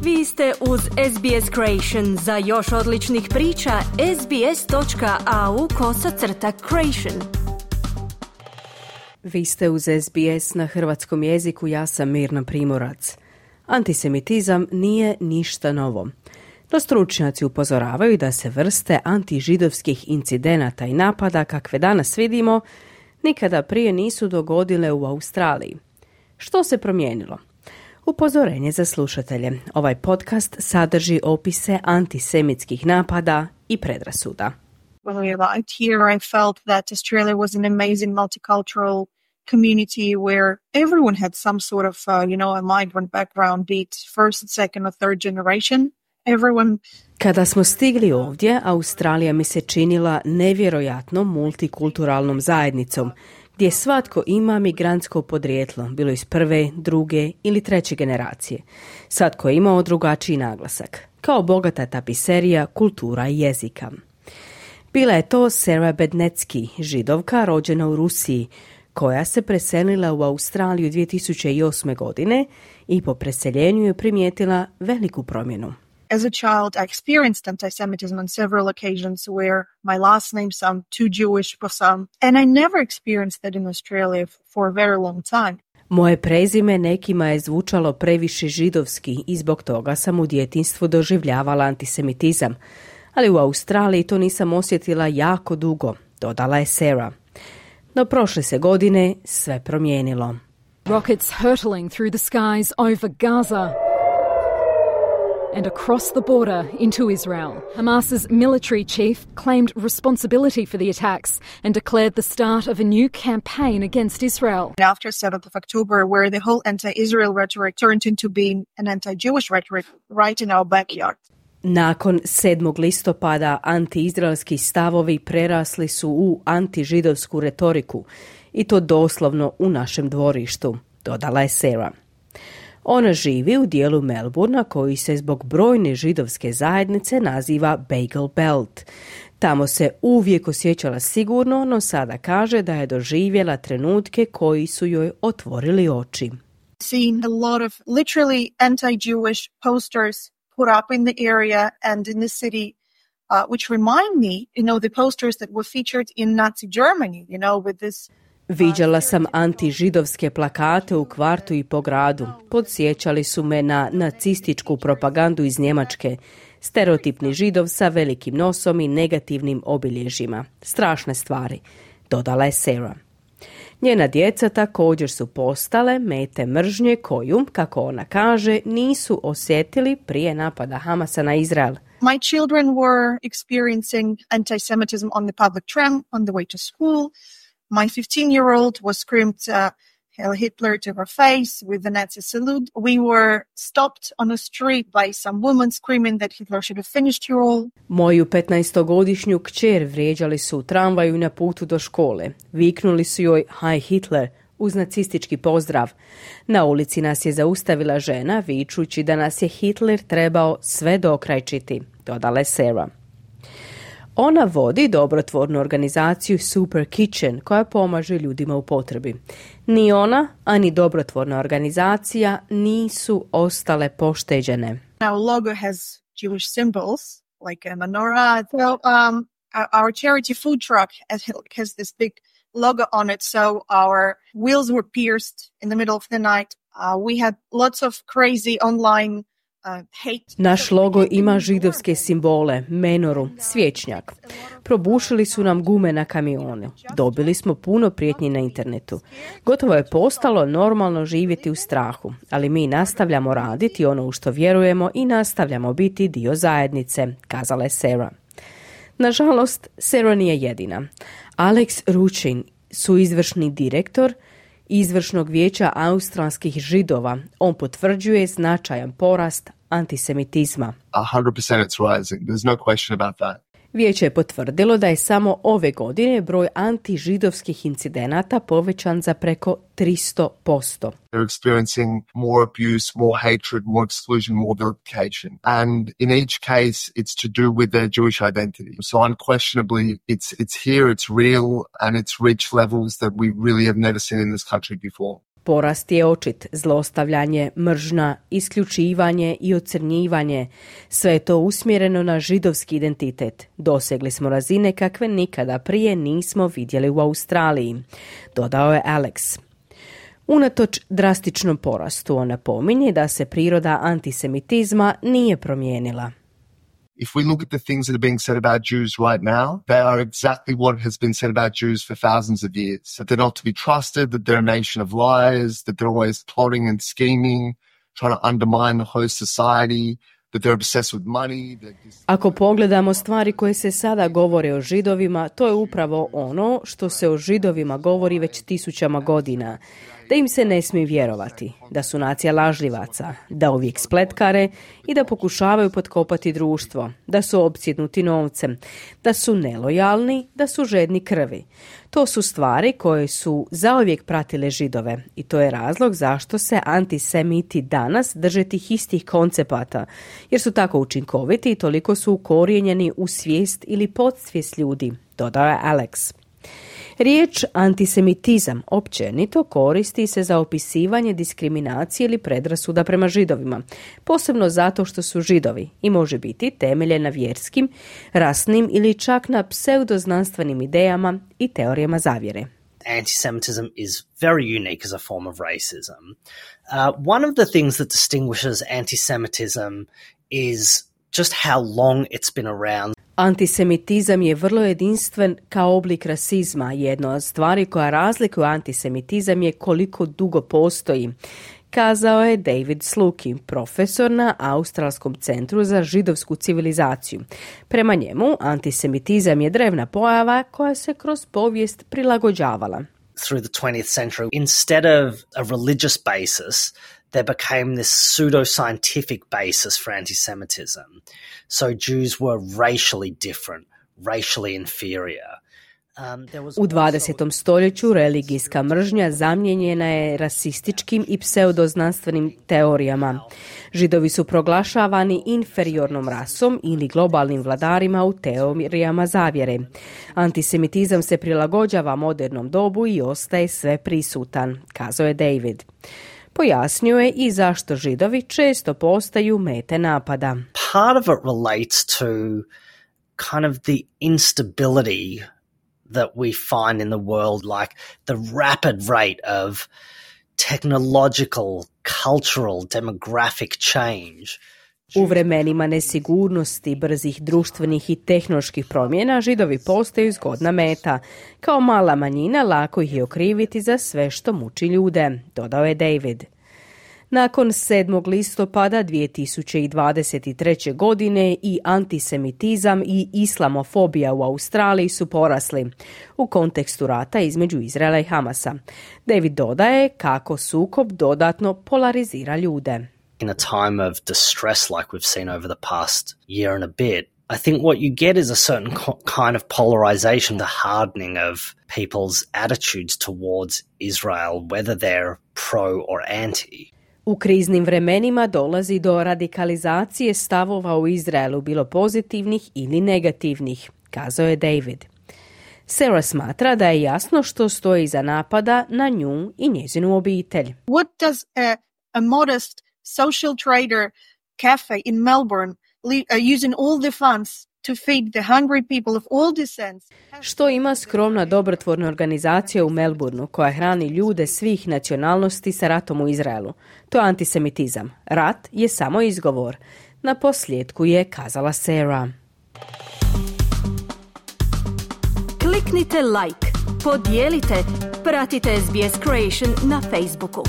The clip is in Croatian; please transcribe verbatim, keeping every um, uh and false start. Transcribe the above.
Vi ste uz S B S Creation. Za još odličnih priča, sbs.au kosacrta creation. Vi ste uz S B S na hrvatskom jeziku, ja sam Mirna Primorac. Antisemitizam nije ništa novo. No stručnjaci upozoravaju da se vrste antižidovskih incidenata i napada kakve danas vidimo nikada prije nisu dogodile u Australiji. Što se promijenilo? Upozorenje za slušatelje. Ovaj podcast sadrži opise antisemitskih napada i predrasuda. When we arrived here, I felt that Australia was an amazing multicultural community where everyone had some sort of, uh, you know, a migrant background, be it first, second or third generation. Everyone... Kada smo stigli ovdje, Australija mi se činila nevjerojatno multikulturalnom zajednicom, gdje svatko ima migrantsko podrijetlo, bilo iz prve, druge ili treće generacije. Svatko je imao drugačiji naglasak, kao bogata tapiserija, kultura i jezika. Bila je to Sarah Bednetsky, židovka rođena u Rusiji, koja se preselila u Australiju dvije tisuće osme. godine i po preseljenju je primijetila veliku promjenu. As a child, I experienced anti-Semitism on several occasions where my last name sounded too Jewish for some, and I never experienced that in Australia for a very long time. Moje prezime nekima je zvučalo previše židovski i zbog toga sam u djetinjstvu doživljavala antisemitizam, ali u Australiji to nisam osjetila jako dugo, dodala je Sarah. No prošle se godine sve promijenilo. Rockets hurtling through the skies over Gaza and across the border into Israel. Hamas's military chief claimed responsibility for the attacks and declared the start of a new campaign against Israel. After seventh of October, where the whole anti-Israel rhetoric turned into being an anti-Jewish rhetoric right in our backyard. Nakon sedmog listopada antiizraelski stavovi prerasli su u antižidovsku retoriku i to doslovno u našem dvorištu, dodala je Sarah. Ona živi u dijelu Melbournea koji se zbog brojne židovske zajednice naziva Bagel Belt. Tamo se uvijek osjećala sigurno, no sada kaže da je doživjela trenutke koji su joj otvorili oči. Seeing a lot of literally anti-Jewish posters put up in the area and in the city, uh, which remind me, you know, the posters that were featured in Nazi Germany, you know, with this... Viđala sam antižidovske plakate u kvartu i po gradu. Podsjećali su me na nacističku propagandu iz Njemačke. Stereotipni židov sa velikim nosom i negativnim obilježjima. Strašne stvari, dodala je Sarah. Njena djeca također su postale mete mržnje koju, kako ona kaže, nisu osjetili prije napada Hamasa na Izrael. My children were experiencing anti-Semitism on the public tram on the way to school. My fifteen-year-old was screamed uh, Heil Hitler to her face with the Nazi salute. We were stopped on a street by some woman screaming that Hitler should have finished you all. Moju petnaestogodišnju kćer vrijeđali su u tramvaju na putu do škole. Viknuli su joj Heil Hitler uz nacistički pozdrav. Na ulici nas je zaustavila žena vičući da nas je Hitler trebao sve dokrajčiti, dodala je Sarah. Ona vodi dobrotvornu organizaciju Super Kitchen koja pomaže ljudima u potrebi. Ni ona, ani dobrotvorna organizacija nisu ostale pošteđene. Our logo has Jewish symbols like a menorah. So um, our charity food truck has this big logo on it. So our wheels were pierced in the middle of the night. Uh, we had lots of crazy online Naš logo ima židovske simbole, menoru, svječnjak. Probušili su nam gume na kamione. Dobili smo puno prijetnji na internetu. Gotovo je postalo normalno živjeti u strahu, ali mi nastavljamo raditi ono u što vjerujemo i nastavljamo biti dio zajednice, kazala je Sarah. Nažalost, Sarah nije jedina. Alex Ruchin, suizvršni direktor Izvršnog vijeća australskih židova, on potvrđuje značajan porast antisemitizma. one hundred percent it's rising. There's no question about that. Vijeće je potvrdilo da je samo ove godine broj antižidovskih incidenata povećan za preko tristo posto. They're experiencing more abuse, more hatred, more exclusion, more vilification. And in each case, it's to do with their Jewish identity. So unquestionably, it's it's here, it's real, and it's reached levels that we really have never seen in this country before. Porast je očit, zlostavljanje, mržnja, isključivanje i ocrnjivanje. Sve je to usmjereno na židovski identitet. Dosegli smo razine kakve nikada prije nismo vidjeli u Australiji, dodao je Alex. Unatoč drastičnom porastu, on napominje da se priroda antisemitizma nije promijenila. If we look at the things that are being said about Jews right now, they are exactly what has been said about Jews for thousands of years. That they're not to be trusted, that they're a nation of liars, that they're always plotting and scheming, trying to undermine the host society, that they're obsessed with money. That... Ako pogledamo stvari koje se sada govore o Židovima, to je upravo ono što se o Židovima govori već tisućama godina. Da im se ne smije vjerovati, da su nacija lažljivaca, da uvijek spletkare i da pokušavaju potkopati društvo, da su opsjednuti novcem, da su nelojalni, da su žedni krvi. To su stvari koje su zauvijek pratile Židove i to je razlog zašto se antisemiti danas drže tih istih koncepata, jer su tako učinkoviti i toliko su ukorijenjeni u svijest ili podsvijest ljudi, dodao je Alex. Riječ antisemitizam općenito koristi se za opisivanje diskriminacije ili predrasuda prema Židovima, posebno zato što su Židovi i može biti temeljen na vjerskim, rasnim ili čak na pseudoznanstvenim idejama i teorijama zavjere. Anti-Semitism is very unique as a form of racism. Uh, one of the things that distinguishes anti-Semitism is just how long it's been around. Antisemitizam je vrlo jedinstven kao oblik rasizma. Jedna od stvari koja razlikuje antisemitizam je koliko dugo postoji, kazao je David Sluki, profesor na Australskom centru za židovsku civilizaciju. Prema njemu, antisemitizam je drevna pojava koja se kroz povijest prilagođavala. Through the twentieth century, instead of a religious basis, there became this pseudo-scientific basis for anti-Semitism. So Jews were racially different, racially inferior. Um, there was U dvadesetom stoljeću religijska mržnja zamijenjena je rasističkim i pseudoznanstvenim teorijama. Židovi su proglašavani inferiornom rasom ili globalnim vladarima u teorijama zavjere. Antisemitizam se prilagođava modernom dobu i ostaje sve prisutan, kazao je David. Pojasnio je i zašto Židovi često postaju mete napada. Part of it relates to kind of the instability that we find in the world, like the rapid rate of technological, cultural, demographic change. U vremenima nesigurnosti, brzih društvenih i tehnoloških promjena, Židovi postaju zgodna meta. Kao mala manjina lako ih je okriviti za sve što muči ljude, dodao je David. Nakon sedmog listopada dvije tisuće dvadeset treće. godine i antisemitizam i islamofobija u Australiji su porasli u kontekstu rata između Izraela i Hamasa. David dodaje kako sukob dodatno polarizira ljude. In a time of distress like we've seen over the past year and a bit, I think what you get is a certain kind of polarization, the hardening of people's attitudes towards Israel, whether they're pro or anti. U kriznim vremenima dolazi do radikalizacije stavova u Izraelu, bilo pozitivnih ili negativnih, kazao je David. Sarah smatra da je jasno što stoji iza napada na nju i njezinu obitelj. What does a, a modest social trader cafe in Melbourne uh, using all the funds to feed the hungry people of all descents? Što ima skromna dobrotvorna organizacija u Melbourneu koja hrani ljude svih nacionalnosti sa ratom u Izraelu? To je antisemitizam. Rat je samo izgovor. Na posljedku je kazala Sarah. Kliknite like, podijelite, pratite S B S Creation na Facebooku.